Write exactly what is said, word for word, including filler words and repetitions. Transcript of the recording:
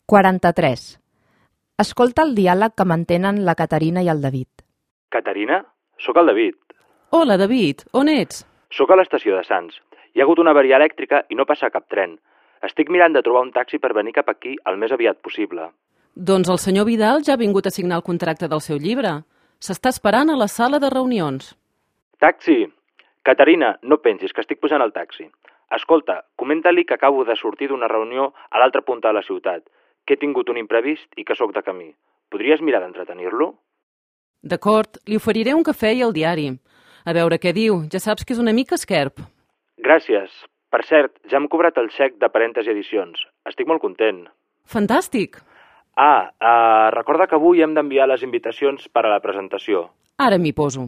quaranta-tres. Escolta el diàleg que mantenen la Caterina i el David. Caterina? Sóc el David. Hola, David. On ets? Sóc a l'estació de Sants. Hi ha hagut una avaria elèctrica i no passa cap tren. Estic mirant de trobar un taxi per venir cap aquí el més aviat possible. Doncs el senyor Vidal ja ha vingut a signar el contracte del seu llibre. S'està esperant a la sala de reunions. Taxi! Caterina, no pensis que estic posant el taxi. Escolta, comenta-li que acabo de sortir d'una reunió a l'altra punta de la ciutat, que he tingut un imprevist i que sóc de camí. Podries mirar d'entretenir-lo? D'acord, li oferiré un cafè i el diari. A veure què diu, ja saps que és una mica esquerp. Gràcies. Per cert, ja hem cobrat el xec de Parèntesi Edicions. Estic molt content. Fantàstic! Ah, uh, recorda que avui hem d'enviar les invitacions per a la presentació. Ara m'hi poso.